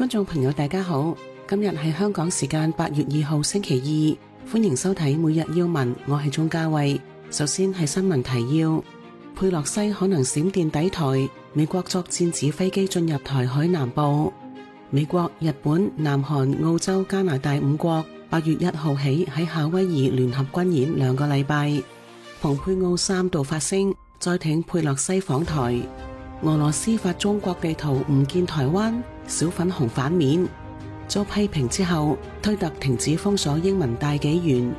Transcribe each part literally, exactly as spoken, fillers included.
觀眾朋友大家好，今日係香港時間八月二號星期二，歡迎收睇每日要聞，我係鍾嘉慧。首先係新聞提要：佩洛西可能閃電抵台，美國作戰指揮機進入台海南部。美國、日本、南韓、澳洲、加拿大五國八月一號起喺夏威夷聯合軍演兩個禮拜。蓬佩奧三度發聲，再挺佩洛西訪台。俄羅斯發中國地圖唔見台灣，小粉紅反面。遭批評之後，推特停止封鎖英文大紀元。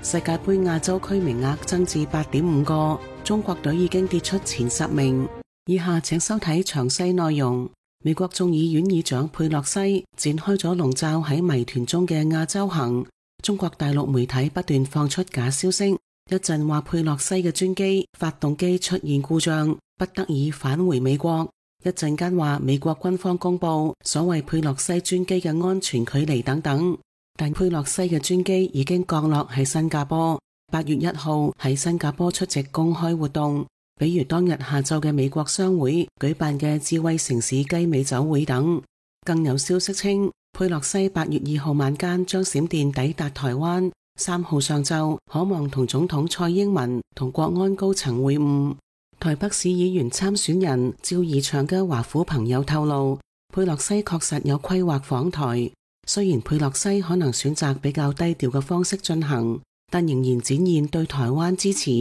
世界盃亞洲區名額增至八點五個，中國隊已經跌出前十名。以下請收睇詳細內容。美國眾議院議長佩洛西展開咗籠罩喺謎團中嘅亞洲行。中國大陸媒體不斷放出假消息，一陣話佩洛西嘅專機發動機出現故障，不得已返回美國；一陣間話美國軍方公布所謂佩洛西專機嘅安全距離等等。但佩洛西嘅專機已經降落喺新加坡，八月一號喺新加坡出席公開活動，比如當日下晝嘅美國商會舉辦嘅智慧城市雞尾酒會等。更有消息稱，佩洛西八月二號晚間將閃電抵達台灣，三號上晝可望同總統蔡英文同國安高層會晤。台北市議員參選人趙怡翔嘅華府朋友透露，佩洛西確實有規劃訪台，雖然佩洛西可能選擇比較低調嘅方式進行，但仍然展現對台灣支持。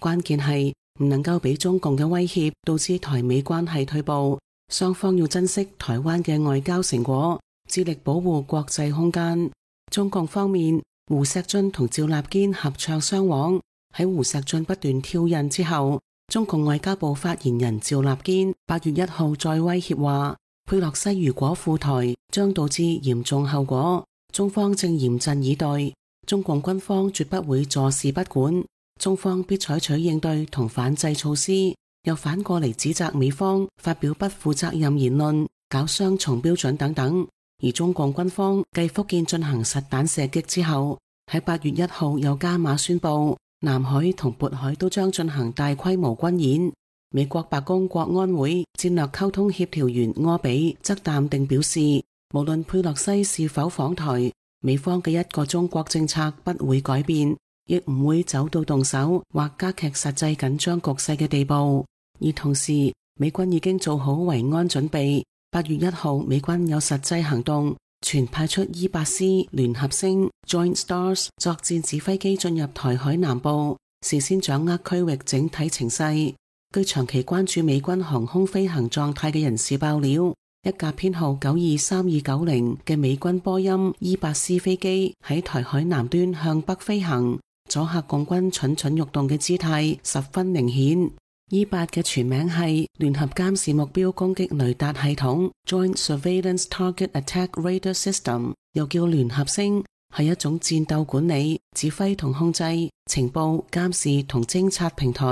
關鍵係唔能夠俾中共嘅威脅導致台美關係退步，雙方要珍惜台灣嘅外交成果，致力保護國際空間。中共方面，胡錫進同趙立堅合唱雙簧。喺胡錫進不斷挑釁之後，中共外交部發言人趙立堅八月一號再威脅話，佩洛西如果赴台將導致嚴重後果，中方正嚴陣以待，中共軍方絕不會坐視不管，中方必採取應對同反制措施。又反過嚟指責美方發表不負責任言論，搞雙重標準等等。而中共軍方繼福建進行實彈射擊之後，喺八月一號又加碼宣布，南海同渤海都將進行大規模軍演。美國白宮國安會戰略溝通協調員柯比則淡定表示，無論佩洛西是否訪台，美方嘅一個中國政策不會改變，亦唔會走到動手或加劇實際緊張局勢嘅地步。而同時，美軍已經做好維安準備。八月一號，美軍有實際行動，全派出伊八斯聯合星 Joint Stars 作戰指揮機進入台海南部，事先掌握區域整體情勢。據長期關注美軍航空飛行狀態嘅人士爆料，一架編號九二三二九零嘅美軍波音伊八斯飛機喺台海南端向北飛行，阻嚇共軍蠢蠢欲動嘅姿態十分明顯。伊八嘅全名係聯合監視目標攻擊雷達系統 Joint Surveillance Target Attack Radar System， 又叫聯合星，係一種戰鬥管理、指揮同控制、情報、監視同偵察平台。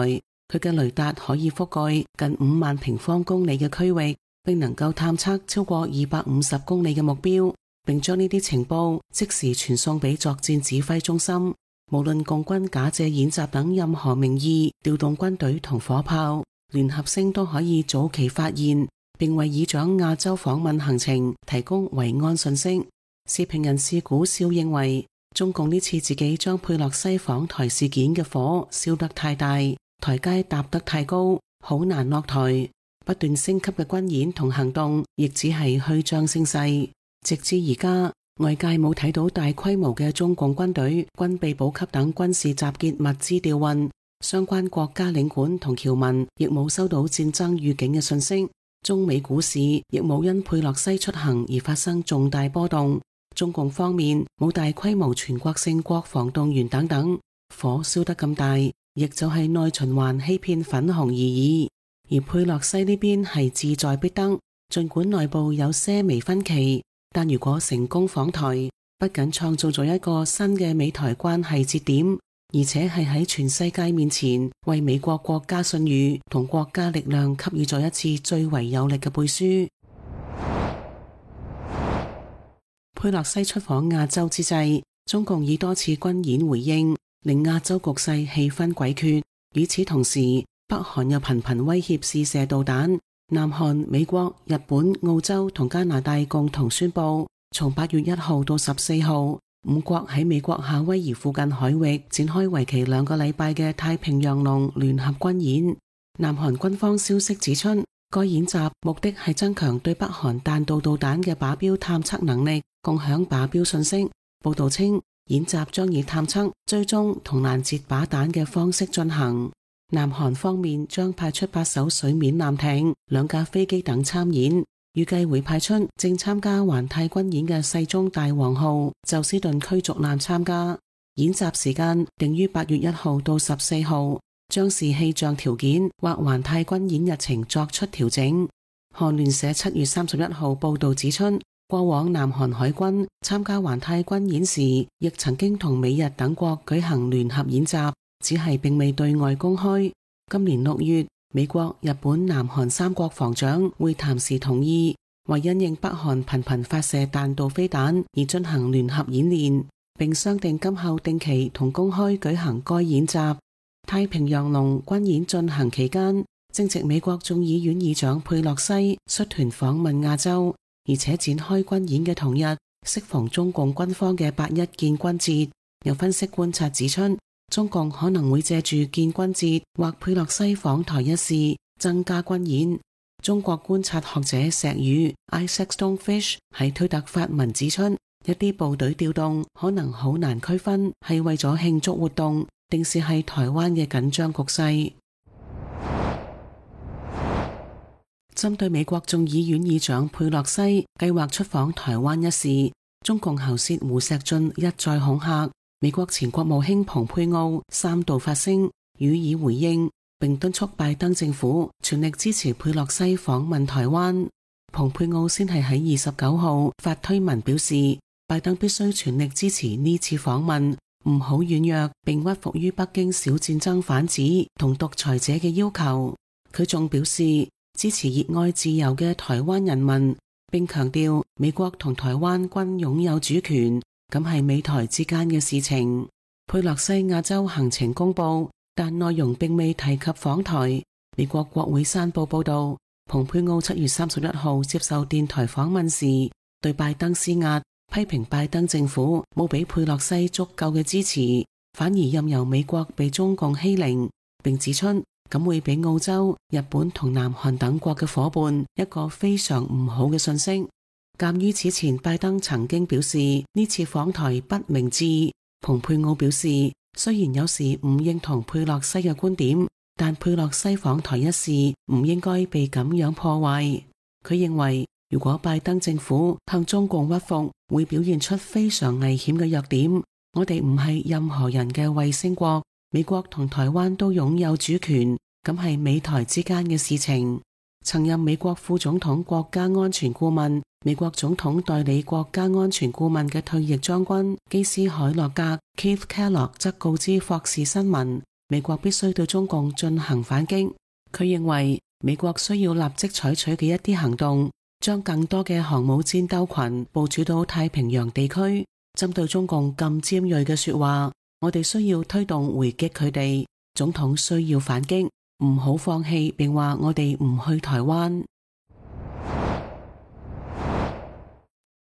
佢嘅雷達可以覆蓋近五萬平方公里嘅區域，並能夠探測超過二百五十公里嘅目標，並將呢啲情報即時傳送俾作戰指揮中心。無論共軍假借演習等任何名義調動軍隊同火炮，聯合星都可以早期發現，並為議長亞洲訪問行程提供維安信息。時評人士古笑認為，中共呢次自己將佩洛西訪台事件嘅火燒得太大，台階搭得太高，好難落台。不斷升級嘅軍演同行動亦只係虛張聲勢。直至而家，外界冇睇到大規模嘅中共軍隊、軍備補給等軍事集結物資調運，相關國家領館同僑民亦冇收到戰爭預警嘅信息。中美股市亦冇因佩洛西出行而發生重大波動。中共方面冇大規模全國性國防動員等等，火燒得咁大，亦就係內循環欺騙粉紅而已。而佩洛西呢邊係志在必得，儘管內部有些微分歧。但如果成功訪台，不僅創造咗一個新嘅美台關係節點，而且係喺全世界面前為美國國家信譽同國家力量給予咗一次最為有力嘅背書。佩洛西出訪亞洲之際，中共以多次軍演回應，令亞洲局勢氣氛詭譎。與此同時，北韓又頻頻威脅試射導彈，南韓、美國、日本、澳洲同加拿大共同宣布，從八月一號到十四號，五國喺美國夏威夷附近海域展開為期兩個禮拜嘅太平洋龍聯合軍演。南韓軍方消息指出，該演習目的係增強對北韓彈道導彈嘅靶標探測能力，共享靶標信息。報道稱，演習將以探測、追蹤同攔截靶彈嘅方式進行。南韓方面將派出八艘水面艦艇、兩架飛機等參演，預計會派出正參加環太軍演嘅世宗大王號宙斯盾驅逐艦參加。演習時間定於八月一號到十四號，將視氣象條件或環太軍演日程作出調整。韓聯社七月三十一號報道指出，過往南韓海軍參加環太軍演時，亦曾經同美日等國舉行聯合演習，只係並未對外公開。今年六月，美國、日本、南韓三國防長會談時同意，為因應北韓頻頻發射彈道飛彈而進行聯合演練，並商定今後定期同公開舉行該演習。太平洋龍軍演進行期間，正值美國眾議院議長佩洛西率團訪問亞洲，而且展開軍演嘅同日，適逢中共軍方嘅八一建軍節。有分析觀察指出，中共可能會借住建軍節或佩洛西訪台一事增加軍演。中國觀察學者石宇 Isaac Stonefish 喺推特發文指出，一啲部隊調動可能好難區分係為咗慶祝活動，定是係台灣嘅緊張局勢。針對美國眾議院議長佩洛西計劃出訪台灣一事，中共喉舌胡錫進一再恐嚇。美國前國務卿蓬佩奧三度發聲予以回應，並敦促拜登政府全力支持佩洛西訪問台灣。蓬佩奧先係喺二十九號發推文表示，拜登必須全力支持呢次訪問，唔好軟弱並屈服於北京小戰爭販子同獨裁者嘅要求。佢仲表示支持熱愛自由嘅台灣人民，並強調美國同台灣均擁有主權，咁係美台之間嘅事情。佩洛西亞洲行程公布，但內容並未提及訪台。美國國會山報報道，蓬佩奧七月三十一號接受電台訪問時，對拜登施壓，批評拜登政府冇俾佩洛西足夠嘅支持，反而任由美國被中共欺凌，並指出咁會俾澳洲、日本同南韓等國嘅夥伴一個非常唔好嘅信息。鑒於此前拜登曾經表示呢次訪台不明智，蓬佩奧表示雖然有時唔認同佩洛西嘅觀點，但佩洛西訪台一事唔應該被咁樣破壞。佢認為如果拜登政府向中共屈服，會表現出非常危險嘅弱點。我哋唔係任何人嘅衛星國，美國同台灣都擁有主權，咁係美台之間嘅事情。曾任美國副總統國家安全顧問、美國總統代理國家安全顧問嘅退役將軍基斯海洛格 Keith Kellogg 則告知霍士新聞，美國必須對中共進行反擊。佢認為美國需要立即採取嘅一啲行動，將更多嘅航母戰鬥群部署到太平洋地區。針對中共咁尖銳嘅說話，我哋需要推動回擊佢哋。總統需要反擊，唔好放棄並話我哋唔去台灣。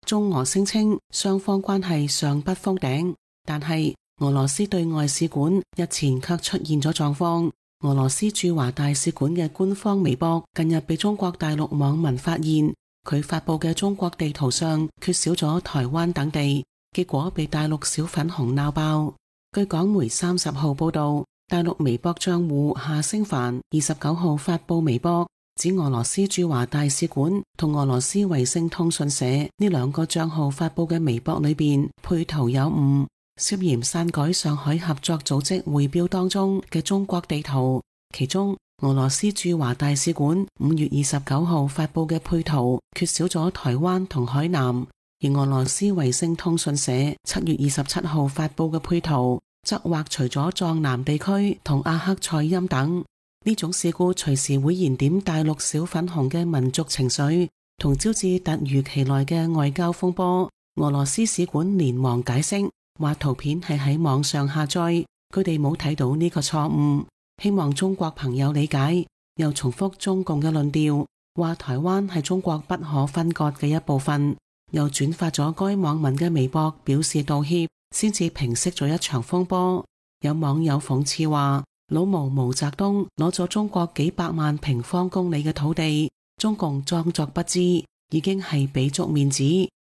中俄聲稱雙方關係尚不封頂，但係俄羅斯對外使館日前卻出現咗狀況。俄羅斯駐華大使館嘅官方微博近日被中國大陸網民發現，佢發佈嘅中國地圖上缺少咗台灣等地，結果被大陸小粉紅鬧爆。據港媒三十號報道，大陸微博賬戶夏星凡二十九號發佈微博，指俄羅斯駐華大使館同俄羅斯衛星通訊社呢兩個賬號發佈嘅微博裏邊配圖有誤，涉嫌篡改上海合作組織匯標當中嘅中國地圖。其中俄羅斯駐華大使館五月二十九號發佈嘅配圖缺少咗台灣同海南，而俄羅斯衛星通訊社七月二十七號發佈嘅配圖則劃除咗藏南地區同阿克賽欽等。呢種事故隨時會燃點大陸小粉紅嘅民族情緒，同招致突如其來嘅外交風波。俄羅斯使館連忙解釋，話圖片係喺網上下載，佢哋冇睇到呢個錯誤，希望中國朋友理解。又重複中共嘅論調，話台灣係中國不可分割嘅一部分，又轉發咗該網民嘅微博表示道歉，先至平息咗一場風波。有網友諷刺話，老毛毛澤東攞咗中國幾百萬平方公里嘅土地，中共裝作不知，已經係俾足面子，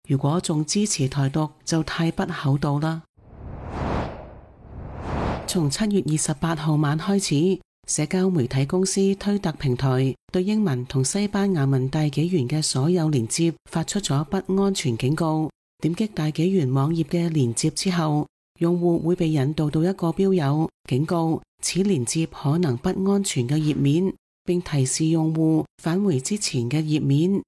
如果仲支持台獨就太不厚道啦。從七月二十八號晚開始，社交媒體公司推特平台對英文同西班牙文大紀元嘅所有連接發出咗不安全警告。點擊大紀元網頁嘅連接之後，用戶會被引導到一個標有警告此連接可能不安全嘅頁面，並提示用戶返回之前嘅頁面。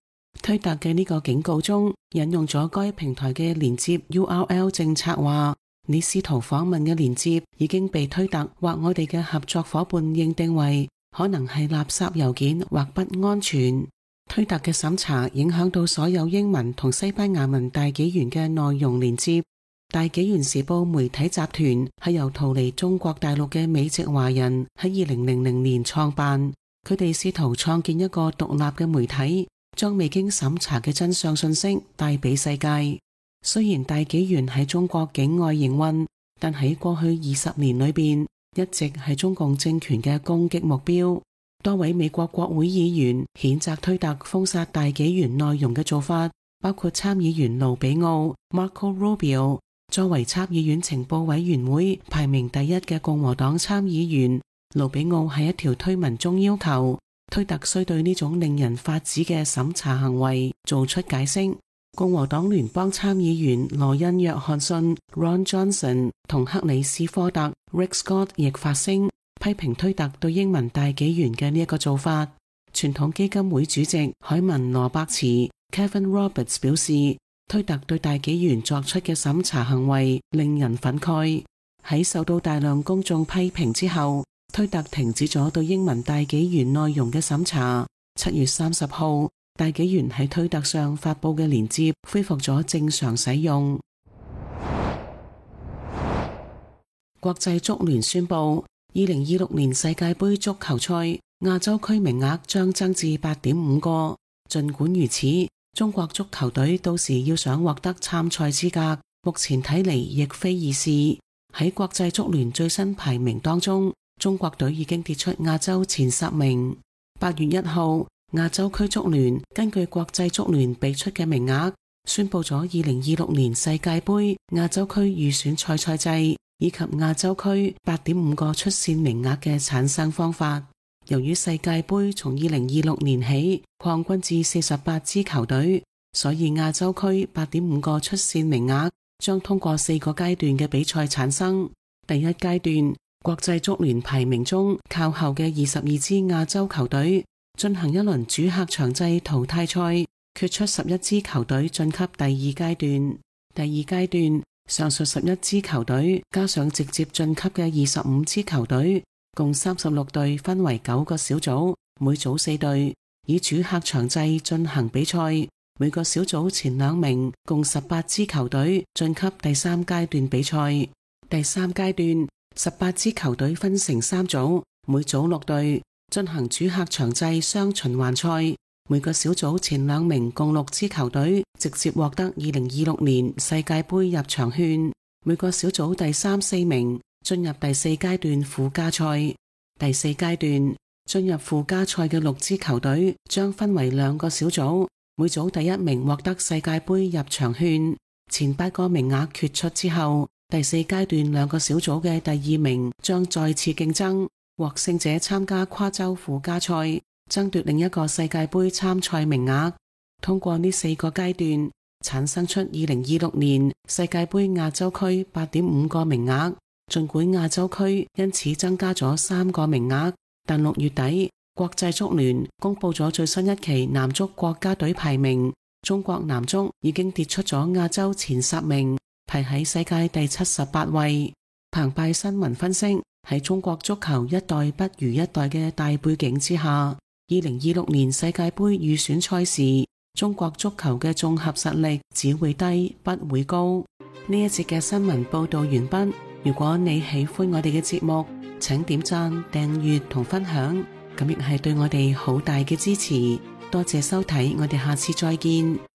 推特嘅呢個警告中引用咗該平台嘅連接 U R L 政策，話你試圖訪問嘅連接已經被推特或我哋嘅合作夥伴認定為可能係垃圾郵件或不安全。推特嘅審查影響到所有英文同西班牙文大紀元嘅內容連接。大紀元時報媒體集團係由逃離中國大陸嘅美籍華人喺二零零零年創辦，佢哋試圖創建一個獨立嘅媒體，將未經審查嘅真相信息帶俾世界。雖然大紀元喺中國境外營運，但喺過去二十年裏邊一直係中共政權嘅攻擊目標。多位美國國會議員譴責推特封殺大紀元內容嘅做法，包括參議員盧比奧 Marco Rubio。作為參議院情報委員會排名第一嘅共和黨參議員，盧比奧喺一條推文中要求推特須對呢種令人髮指嘅審查行為做出解釋。共和黨聯邦參議員羅恩約翰遜 Ron Johnson 同克里斯科特 Rick Scott 亦發聲批評推特對英文大紀元嘅呢一個做法。傳統基金會主席海文羅伯茨 Kevin Roberts 表示，推特對大紀元作出嘅審查行為令人憤慨。喺受到大量公眾批評之後，推特停止咗對英文大紀元內容嘅審查。七月三十號，大紀元喺推特上發佈嘅連接恢復咗正常使用。國際足聯宣布，二零二六年世界盃足球賽亞洲區名額將增至八點五個。盡管如此，中國足球隊到時要想獲得參賽資格，目前睇嚟亦非易事。喺國際足聯最新排名當中，中國隊已經跌出亞洲前十名。八月一號，亞洲區足聯根據國際足聯俾出嘅名額，宣布咗二零二六年世界盃亞洲區預選賽賽制以及亞洲區八點五個出線名額嘅產生方法。由於世界盃從二零二六年起擴軍至四十八支球隊，所以亞洲區八點五個出線名額將通過四個階段嘅比賽產生。第一階段，國際足聯排名中靠後嘅二十二支亞洲球隊進行一輪主客場制淘汰賽，決出十一支球隊晉級第二階段。第二階段，上述十一支球隊加上直接晉級嘅二十五支球隊，共三十六隊分為九個小組，每組四隊，以主客場制進行比賽。每個小組前兩名共十八支球隊晉級第三階段比賽。第三階段，十八支球隊分成三組，每組六隊，進行主客場制雙循環賽。每個小組前兩名共六支球隊直接獲得二零二六年世界盃入場券。每個小組第三四名進入第四階段附加賽。第四階段進入附加賽嘅六支球隊將分為兩個小組，每組第一名獲得世界盃入場券。前八個名額決出之後，第四階段兩個小組嘅第二名將再次競爭，獲勝者參加跨洲附加賽，爭奪另一個世界盃參賽名額。通過呢四個階段，產生出二零二六年世界盃亞洲區八點五個名額。盡管亞洲區因此增加咗三個名額，但六月底國際足聯公布咗最新一期男足國家隊排名，中國男足已經跌出咗亞洲前十名，排喺世界第七十八位。澎湃新聞分析，喺中國足球一代不如一代嘅大背景之下，二零二六年世界盃預選賽時，中國足球嘅綜合實力只會低不會高。呢一節嘅新聞報道完畢。如果你喜歡我哋嘅節目，請點讚、訂閱同分享，咁亦係對我哋好大嘅支持。多謝收睇，我哋下次再見。